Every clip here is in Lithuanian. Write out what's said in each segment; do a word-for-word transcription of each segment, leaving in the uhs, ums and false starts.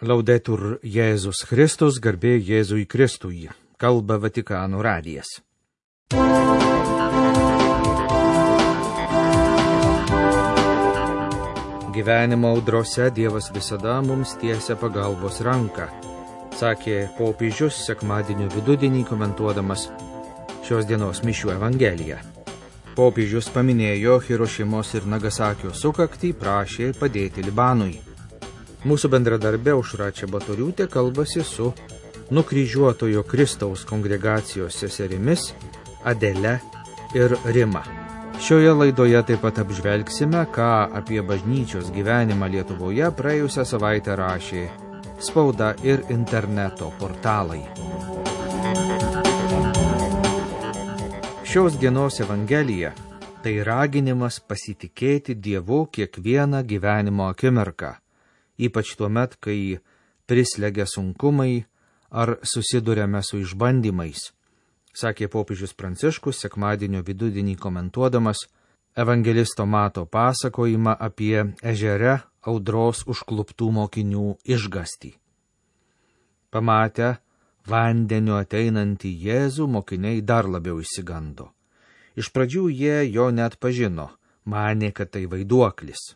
Laudetur Jėzus Kristus, garbė Jėzui Kristui, kalba Vatikano radijas. Gyvenimo audrose Dievas visada mums tiesia pagalbos ranką, sakė popiežius sekmadienio vidudienį komentuodamas šios dienos mišių evangeliją. Popiežius paminėjo Hirošimos ir Nagasakio sukaktį, prašė padėti Libanui. Mūsų bendradarbė Aušra Čebatoriūtė kalbasi su nukryžiuotojo Kristaus kongregacijos seserimis Adele ir Rima. Šioje laidoje taip pat apžvelgsime, ką apie bažnyčios gyvenimą Lietuvoje praėjusią savaitę rašė spauda ir interneto portalai. Šios dienos evangelija tai raginimas pasitikėti Dievu kiekvieną gyvenimo akimirką, ypač tuomet, kai prislegia sunkumai ar susiduriame su išbandymais, sakė popiežius Pranciškus sekmadienio vidudienį komentuodamas evangelisto Mato pasakojimą apie ežere audros užkluptų mokinių išgąstį. Pamatę vandeniu ateinantį Jėzų, mokiniai dar labiau išsigando. Iš pradžių jie jo net pažino, manė, kad tai vaiduoklis.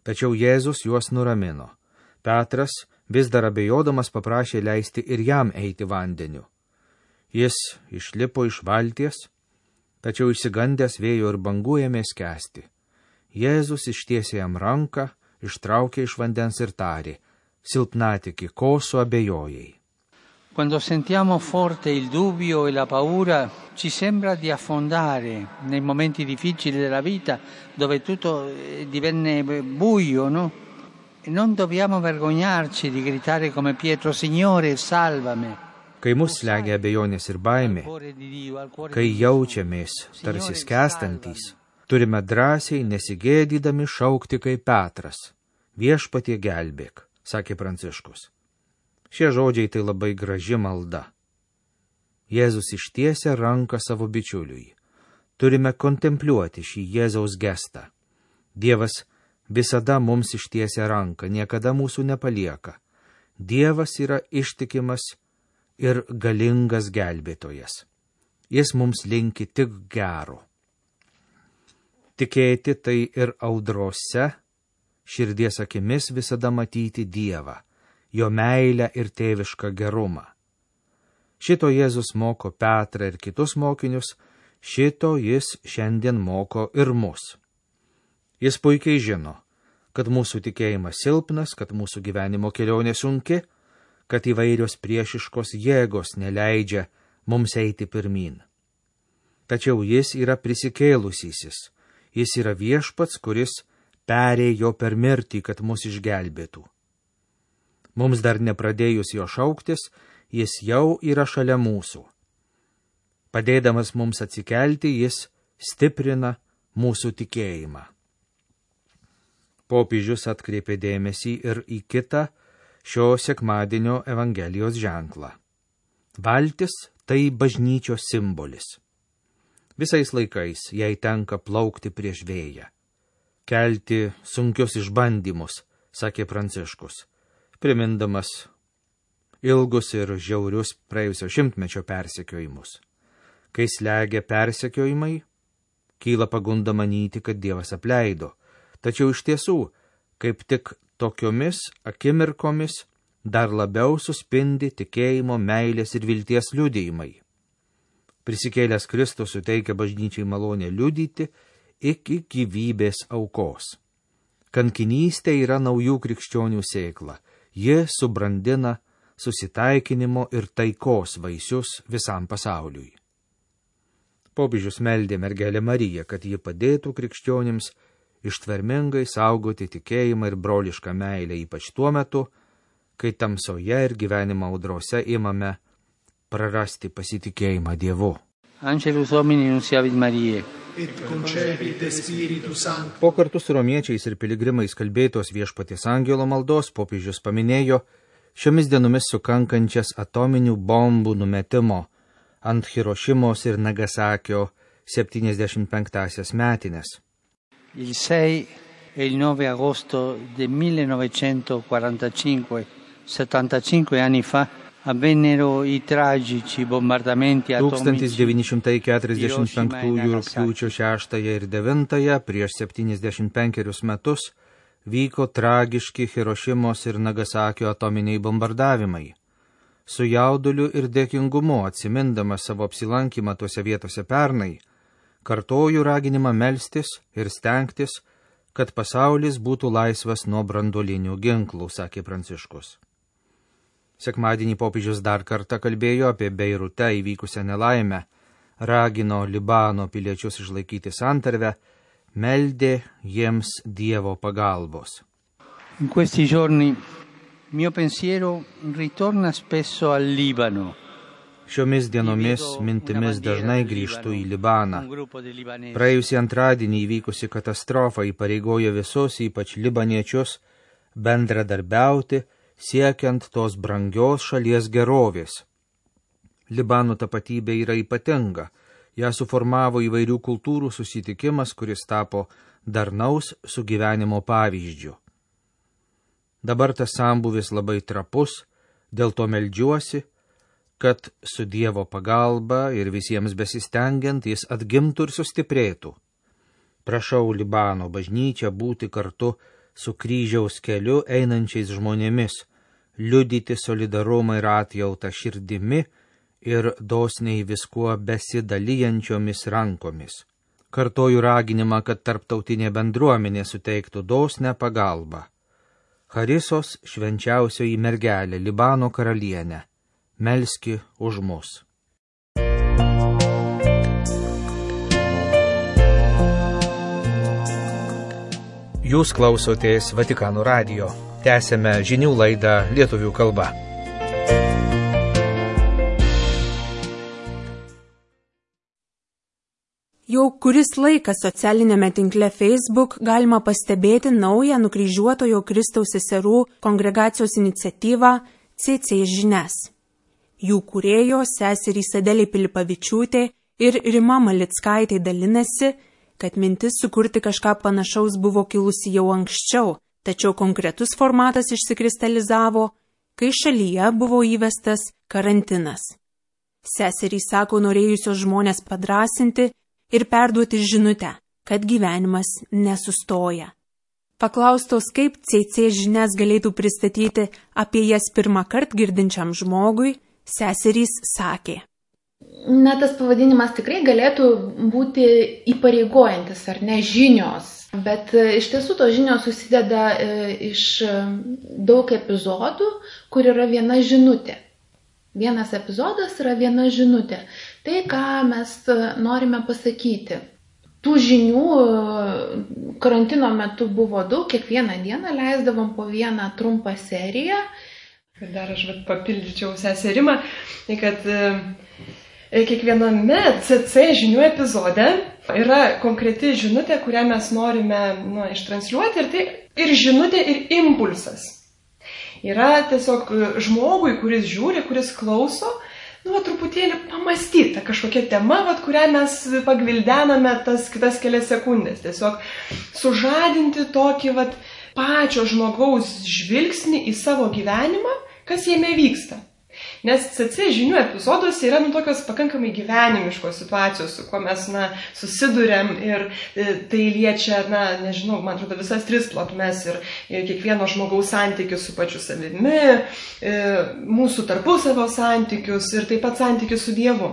Tačiau Jėzus juos nuramino. Petras, vis dar abejodamas, paprašė leisti ir jam eiti vandeniu. Jis išlipo iš valties, tačiau išsigandęs vėjo ir bangų ėmė skęsti. Jėzus ištiesė jam ranką, ištraukė iš vandens ir tarė: silpnatiki, ko suabejojai? Quando sentiamo forte il dubbio e la paura, ci sembra di affondare nei momenti difficili della vita, dove tutto divenne buio, no? E non dobbiamo vergognarci di gritare come Pietro: Signore, salvami. Kai mus slegia abejonės ir baimė, kai jaučiamės tarsi skęstantys, turime drąsiai nesigėdydami šaukti kaip Petras: Viešpatie gelbėk, sakė Pranciškus. Šie žodžiai tai labai graži malda. Jėzus ištiesia ranką savo bičiuliui. Turime kontempliuoti šį Jėzaus gestą. Dievas visada mums ištiesia ranką, niekada mūsų nepalieka. Dievas yra ištikimas ir galingas gelbėtojas. Jis mums linki tik gero. Tikėti tai ir audrose, širdies akimis visada matyti Dievą, jo meilę ir tėvišką gerumą. Šito Jėzus moko Petrą ir kitus mokinius, šito jis šiandien moko ir mus. Jis puikiai žino, kad mūsų tikėjimas silpnas, kad mūsų gyvenimo kelionė sunki, kad įvairios priešiškos jėgos neleidžia mums eiti pirmyn. Tačiau jis yra prisikėlusysis, jis yra viešpats, kuris perėjo per mirtį, kad mus išgelbėtų. Mums dar nepradėjus jo šauktis, jis jau yra šalia mūsų. Padėdamas mums atsikelti, jis stiprina mūsų tikėjimą. Popiežius atkreipė dėmesį ir į kitą šio sekmadienio evangelijos ženklą. Valtis tai bažnyčios simbolis. Visais laikais jai tenka plaukti prieš vėją, kelti sunkius išbandymus, sakė Pranciškus, primindamas ilgus ir žiaurius praėjusio šimtmečio persekiojimus. Kai slegia persekiojimai, kyla pagunda manyti, kad Dievas apleido, tačiau iš tiesų, kaip tik tokiomis akimirkomis dar labiau suspindi tikėjimo, meilės ir vilties liudijimai. Prisikėlęs Kristus suteikia bažnyčiai malonę liudyti iki gyvybės aukos. Kankinystė yra naujų krikščionių sėkla. Ji subrandina susitaikinimo ir taikos vaisius visam pasauliui. Popiežius meldė mergelę Mariją, kad ji padėtų krikščionims ištvermingai saugoti tikėjimą ir brolišką meilę, ypač tuo metu, kai tamsoje ir gyvenimo audrose imame prarasti pasitikėjimą Dievu. Angelus Domini nunciavit Mariae. Et concepit Spiritus Sanctus. Po kartu su romiečiais ir piligrimais kalbėtos Viešpaties angelo maldos popiežius paminėjo šiomis dienomis sukankančias atominių bombų numetimo ant Hirošimos ir Nagasakio septyniasdešimt penktąsias metines. Il sei e il nove agosto del millenovecentoquarantacinque, settantacinque anni fa, avvennero i tragici bombardamenti atomici. tūkstantis devyni šimtai keturiasdešimt penktųjų rugpjūčio šeštąją ir devintąją prieš septyniasdešimt penkerius metus vyko tragiški Hirošimos ir Nagasakio atominiai bombardavimai. Su jauduliu ir dėkingumu atsimindamas savo apsilankymą tuose vietose pernai, kartoju raginimą melstis ir stengtis, kad pasaulis būtų laisvas nuo branduolinių ginklų, sakė Pranciškus. Sekmadienį popiežius dar kartą kalbėjo apie Beirute įvykusią nelaimę, ragino Libano piliečius išlaikyti santarvę, meldė jiems Dievo pagalbos. In questi giorni mio pensiero ritorna spesso al Libano. Šiomis dienomis mintimis dažnai grįžtu į Libaną. Praėjusį antradienį įvykusi katastrofa įpareigojo visus, ypač libaniečius, bendradarbiauti, siekiant tos brangios šalies gerovės. Libano tapatybė yra ypatinga. Ją suformavo įvairių kultūrų susitikimas, kuris tapo darnaus sugyvenimo pavyzdžiu. Dabar tas sambūvis labai trapus, dėl to meldžiuosi, kad su Dievo pagalba ir visiems besistengiant jis atgimtų ir sustiprėtų. Prašau Libano bažnyčią būti kartu su kryžiaus keliu einančiais žmonėmis, liudyti solidarumą ir atjautą širdimi ir dosniai viskuo besidalijančiomis rankomis. Kartoju raginimą, kad tarptautinė bendruomenė suteiktų dosnę pagalbą. Charisos švenčiausioji mergelė, Libano karalienė, melski už mus. Jūs klausotės Vatikano radijo. Tęsėme žinių laidą lietuvių kalba. Jau kuris laikas socialinėme tinkle Facebook galima pastebėti naują nukryžiuotojo Kristaus seserų kongregacijos iniciatyvą C C žinias. Jų kūrėjos seserys Adelė Pilipavičiūtė ir Rima Malickaitė dalinasi, kad mintis sukurti kažką panašaus buvo kilusi jau anksčiau, tačiau konkretus formatas išsikristalizavo, kai šalyje buvo įvestas karantinas. Seserys sako norėjusios žmonės padrasinti ir perduoti žinutę, kad gyvenimas nesustoja. Paklaustos, kaip C C žinias galėtų pristatyti apie jas pirmą kartą girdinčiam žmogui, seserys sakė. Na, tas pavadinimas tikrai galėtų būti įpareigojantis, ar ne, žinios. Bet iš tiesų tos žinios susideda iš daug epizodų, kur yra viena žinutė. Vienas epizodas yra viena žinutė. Tai, ką mes norime pasakyti. Tų žinių karantino metu buvo daug, kiekvieną dieną leisdavom po vieną trumpą seriją. Ir dar aš vat papildyčiau seserimą, kad kiekviename C C žinių epizode yra konkreti žinutė, kurią mes norime nu, ištransliuoti, ir tai ir žinutė, ir impulsas. Yra tiesiog žmogui, kuris žiūri, kuris klauso, nu, va, truputėlį pamastyta kažkokia tema, va, kurią mes pagvildename tas kitas kelias sekundės. Tiesiog sužadinti tokį va, pačio žmogaus žvilgsnį į savo gyvenimą, kas jame vyksta. Nes C C žinių epizoduose yra nu, tokios pakankamai gyvenimiškos situacijos, su kuo mes na, susiduriam, ir tai liečia, na, nežinau, man atrodo, visas tris plotmes, ir, ir kiekvieno žmogaus santykius su pačiu savimi, mūsų tarpusavio santykius ir taip pat santykius su Dievu.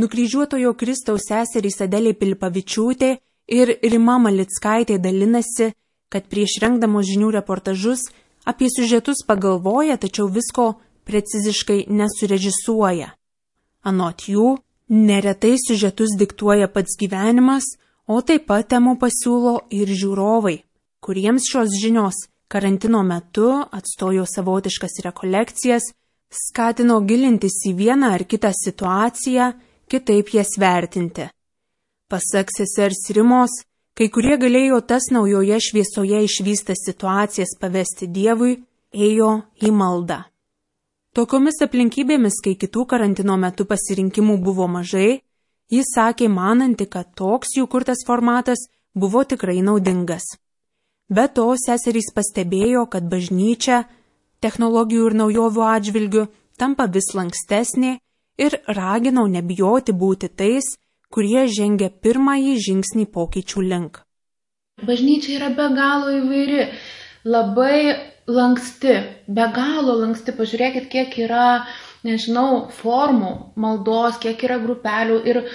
Nukryžiuotojo Kristaus seserys Adelė Pilipavičiūtė ir Rima Malickaitė dalinasi, kad prieš rengdamos žinių reportažus apie siužetus pagalvoja, tačiau visko preciziškai nesurežisuoja. Anot jų, neretai siužetus diktuoja pats gyvenimas, o taip pat temų pasiūlo ir žiūrovai, kuriems šios žinios karantino metu atstojo savotiškas rekolekcijas, skatino gilintis į vieną ar kitą situaciją, kitaip jas vertinti. Pasak sesers Rimos, kai kurie galėjo tas naujoje šviesoje išvystas situacijas pavesti Dievui, ėjo į maldą. Tokiomis aplinkybėmis, kai kitų karantino metu pasirinkimų buvo mažai, jis sakė mananti, kad toks jų kurtas formatas buvo tikrai naudingas. Be to, seserys pastebėjo, kad bažnyčia technologijų ir naujovių atžvilgių tampa vis lankstesnė ir raginau nebijoti būti tais, kurie žengia pirmąjį žingsnį pokyčių link. Bažnyčia yra be galo įvairi, labai lanksti, be galo lanksti. Pažiūrėkit, kiek yra, nežinau, formų maldos, kiek yra grupelių ir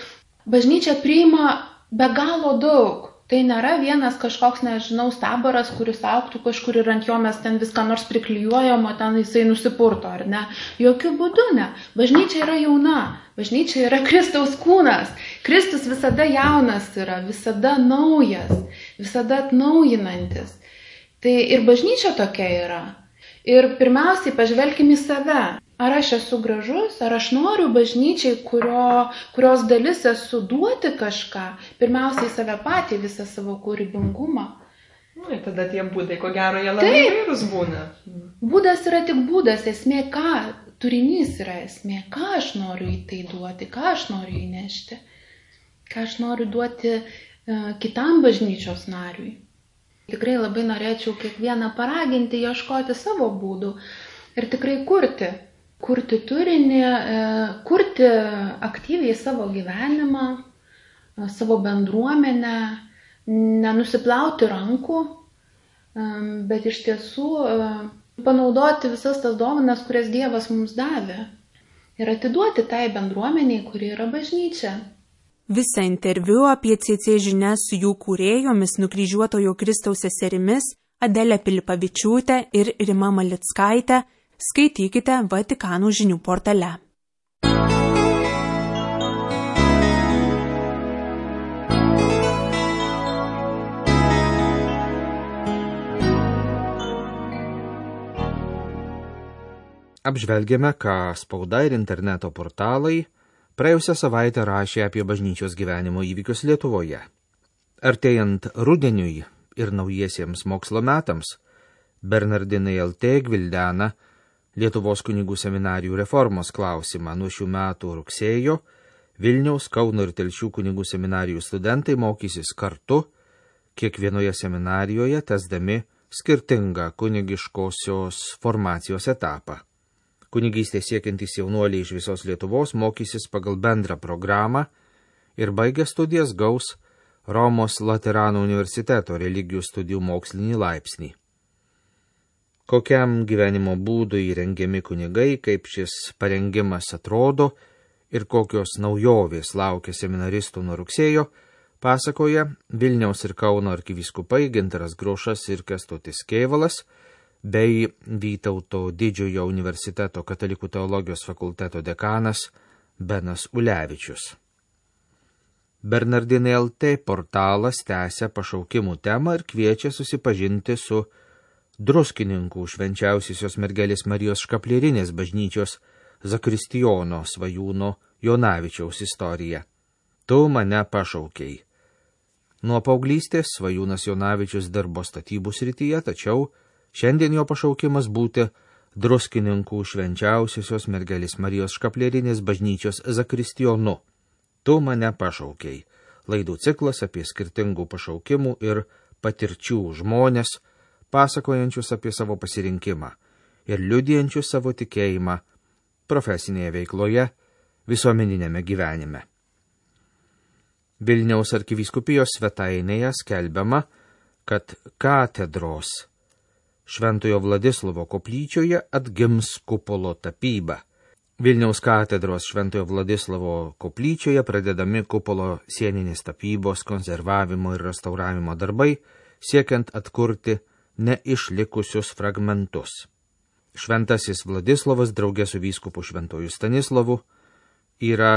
bažnyčia priima be galo daug. Tai nėra vienas kažkoks, nežinau, stabaras, kuris auktų kažkur ir ant jo mes ten viską nors priklijuojam, o ten jisai nusipurto, ar ne? Jokių būdų ne. Bažnyčia yra jauna. Bažnyčia yra Kristaus kūnas. Kristus visada jaunas yra, visada naujas, visada atnaujinantis. Tai ir bažnyčia tokia yra. Ir pirmiausiai pažvelkim į save. Ar aš esu gražus, ar aš noriu bažnyčiai, kurio, kurios dalis esu duoti kažką, pirmiausiai save patį, visą savo kūrybingumą. Nu, ir tada tie būdai, ko gero, jie labai įvairūs būna. Būdas yra tik būdas, esmė ką, turinys yra esmė, ką aš noriu į tai duoti, ką aš noriu įnešti, ką aš noriu duoti uh, kitam bažnyčios nariui. Tikrai labai norėčiau kiekvieną paraginti, ieškoti savo būdų ir tikrai kurti. Kurti turinį, kurti aktyviai savo gyvenimą, savo bendruomenę, nenusiplauti rankų, bet iš tiesų panaudoti visas tas dovanas, kurias Dievas mums davė ir atiduoti tai bendruomeniai, kuri yra bažnyčia. Visą interviu apie C C žinias su jų kūrėjomis Nukryžiuotojo Kristaus seserimis Adelė Pilipavičiūtė ir Rima Malickaitė skaitykite Vatikano žinių portale. Apžvelgėme, ką spauda ir interneto portalai praėjusią savaitę rašė apie bažnyčios gyvenimo įvykius Lietuvoje. Artėjant rudeniui ir naujiesiems mokslo metams, Bernardinai L T gvildena Lietuvos kunigų seminarijų reformos klausimą. Nuo šių metų rugsėjo Vilniaus, Kauno ir Telšių kunigų seminarijų studentai mokysis kartu, kiekvienoje seminarijoje tęsdami skirtingą kunigiškosios formacijos etapą. Kunigystės siekiantys jaunuoliai iš visos Lietuvos mokysis pagal bendrą programą ir baigę studijas gaus Romos Laterano universiteto religijų studijų mokslinį laipsnį. Kokiam gyvenimo būdui įrengiami kunigai, kaip šis parengimas atrodo ir kokios naujovės laukia seminaristų nuo rugsėjo, pasakoja Vilniaus ir Kauno arkivyskupai Gintaras Grušas ir Kęstutis Kėvalas bei Vytauto Didžiojo universiteto katalikų teologijos fakulteto dekanas Benas Ulevičius. Bernardinai L T portalas tęsia pašaukimų temą ir kviečia susipažinti su Druskininkų švenčiausiosios mergelės Marijos Škaplierinės bažnyčios zakristijono Svajūno Jonavičiaus istorija. Tu mane pašaukei. Nuo paauglystės Svajūnas Jonavičius dirbo statybų srityje, tačiau šiandien jo pašaukimas būti Druskininkų švenčiausiosios mergelės Marijos Škaplierinės bažnyčios zakristijonu. Tu mane pašaukei. Laidų ciklas apie skirtingų pašaukimų ir patirčių žmonės, pasakojančius apie savo pasirinkimą ir liudijančius savo tikėjimą profesinėje veikloje, visuomeninėme gyvenime. Vilniaus arkivyskupijos svetainėje skelbiama, kad katedros Šventojo Vladislovo koplyčioje atgims kupolo tapyba. Vilniaus katedros Šventojo Vladislovo koplyčioje pradedami kupolo sieninės tapybos, konservavimo ir restauravimo darbai, siekiant atkurti neišlikusius fragmentus. Šventasis Vladislovas draugė su vyskupu Šventuoju Stanislovu yra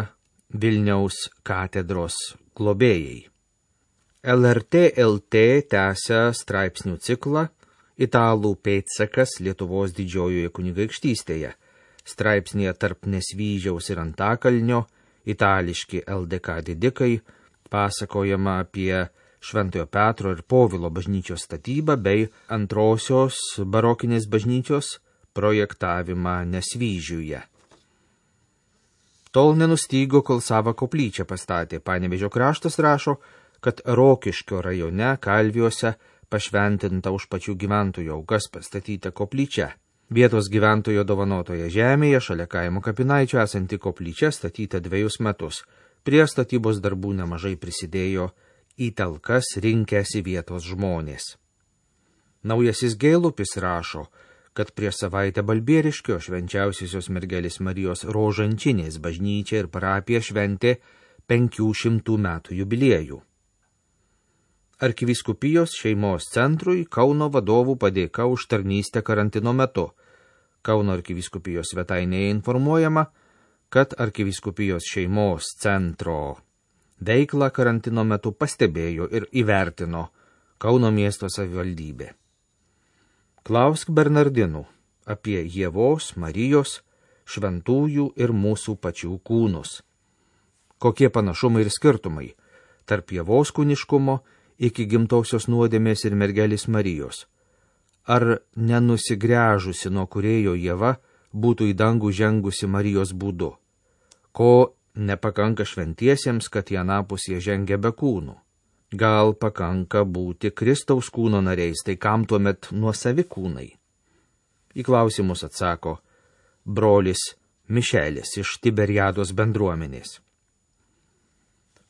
Vilniaus katedros globėjai. L R T L T tęsia straipsnių ciklą Italų pėdsakas Lietuvos didžiojoje kunigaikštystėje. Straipsnėje tarp Nesvyžiaus ir Antakalnio, itališki L D K didikai, pasakojama apie Šventojo Petro ir Povilo bažnyčios statybą bei antrosios barokinės bažnyčios projektavimą Nesvyžiuje. Tol nenustygo, kol savo koplyčią pastatė. Panevėžio kraštas rašo, kad Rokiškio rajone Kalviuose pašventinta už pačių gyventojų aukas pastatyta koplyčia. Vietos gyventojo dovanotoje žemėje šalia kaimo kapinaičio esanti koplyčia statyta dviejus metus. Prie statybos darbų nemažai prisidėjo į talkas rinkęsi vietos žmonės. Naujasis Gailupis rašo, kad prieš savaitę Balbieriškio švenčiausiosios mergelės Marijos Rožančinės bažnyčia ir parapija šventė penkių šimtų metų jubiliejų. Arkivyskupijos šeimos centrui Kauno vadovų padėka už tarnystę karantino metu. Kauno arkivyskupijos svetainėje informuojama, kad arkivyskupijos šeimos centro veiklą karantino metu pastebėjo ir įvertino Kauno miesto savivaldybė. Klausk Bernardinų apie Ievos, Marijos, šventųjų ir mūsų pačių kūnus. Kokie panašumai ir skirtumai tarp Ievos kūniškumo iki gimtosios nuodėmės ir mergelės Marijos? Ar nenusigręžusi nuo kūrėjo Ieva būtų į dangų žengusi Marijos būdu? Ko nepakanka šventiesiems, kad į anapus jie žengia be kūnų? Gal pakanka būti Kristaus kūno nariais, tai kam tuomet nuosavi kūnai? Į klausimus atsako brolis Mišelis iš Tiberiados bendruomenės.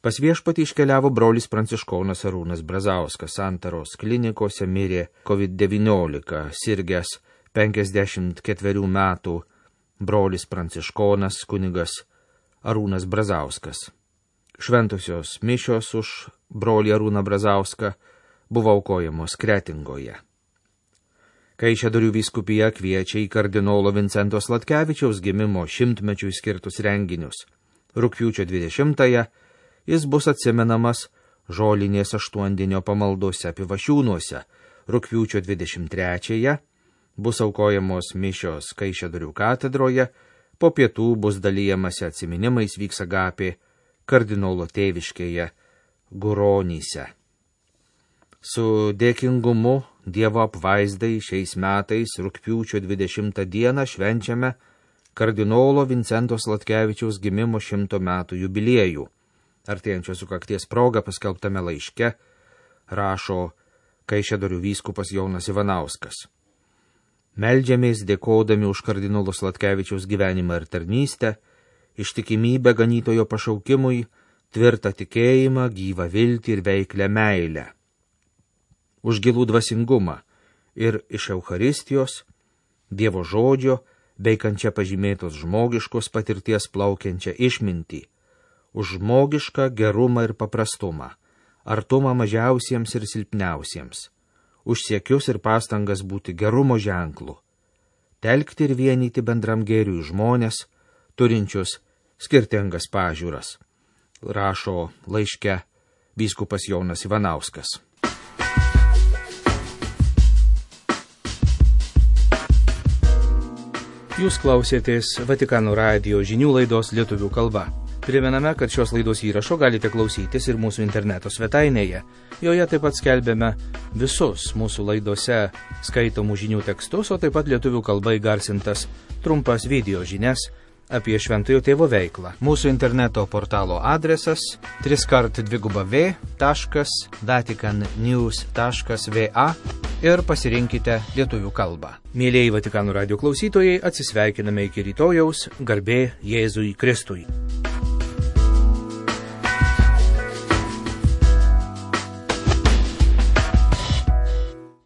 Pas viešpatį iškeliavo brolis pranciškonas Arūnas Brazauskas, Santaros klinikose mirė COVID devyniolika, sirgęs penkiasdešimt ketverių metų brolis pranciškonas kunigas Arūnas Brazauskas. Šventosios mišios už brolį Arūną Brazauską buvo aukojamos Kretingoje. Kaišiadorių vyskupija kviečia į kardinolo Vincento Sladkevičiaus gimimo šimtmečiui skirtus renginius. Rugpjūčio dvidešimtąją jis bus atsimenamas žolinės aštuondienio pamaldose Pivašiūnuose. Rugpjūčio dvidešimt trečiąją bus aukojamos mišios Kaišiadorių katedroje, po pietų bus dalijamasi atsiminimais vyks agapė kardinolo tėviškėje Guronyse. Su dėkingumu Dievo apvaizdai šiais metais rugpjūčio dvidešimtą dieną švenčiame kardinolo Vincento Sladkevičiaus gimimo šimto metų jubiliejų. Artėjančios sukakties proga paskelbtame laiške rašo Kaišiadorių vyskupas Jonas Ivanauskas. Meldžiamės dėkodami už kardinolo Sladkevičiaus gyvenimą ir tarnystę, ištikimybę ganytojo pašaukimui, tvirtą tikėjimą, gyvą viltį ir veiklę meilę. Už gilų dvasingumą ir iš Eucharistijos, Dievo žodžio, bei kančia pažymėtos žmogiškos patirties plaukiančią išmintį, už žmogišką gerumą ir paprastumą, artumą mažiausiems ir silpniausiems, už siekius ir pastangas būti gerumo ženklu, telkti ir vienyti bendram gėriui žmonės, turinčius skirtingas pažiūras, rašo laiške vyskupas Jonas Ivanauskas. Jūs klausėtės Vatikano radijo žinių laidos lietuvių kalba. Primename, kad šios laidos įrašo galite klausytis ir mūsų interneto svetainėje. Joje taip pat skelbėme visus mūsų laidose skaitomų žinių tekstus, o taip pat lietuvių kalba įgarsintas trumpas video žinias apie Šventojo Tėvo veiklą. Mūsų interneto portalo adresas triskart dviguba v taškas vatikan news taškas va ir pasirinkite lietuvių kalbą. Mėlieji Vatikano radijo klausytojai, atsisveikiname iki rytojaus, garbė Jėzui Kristui.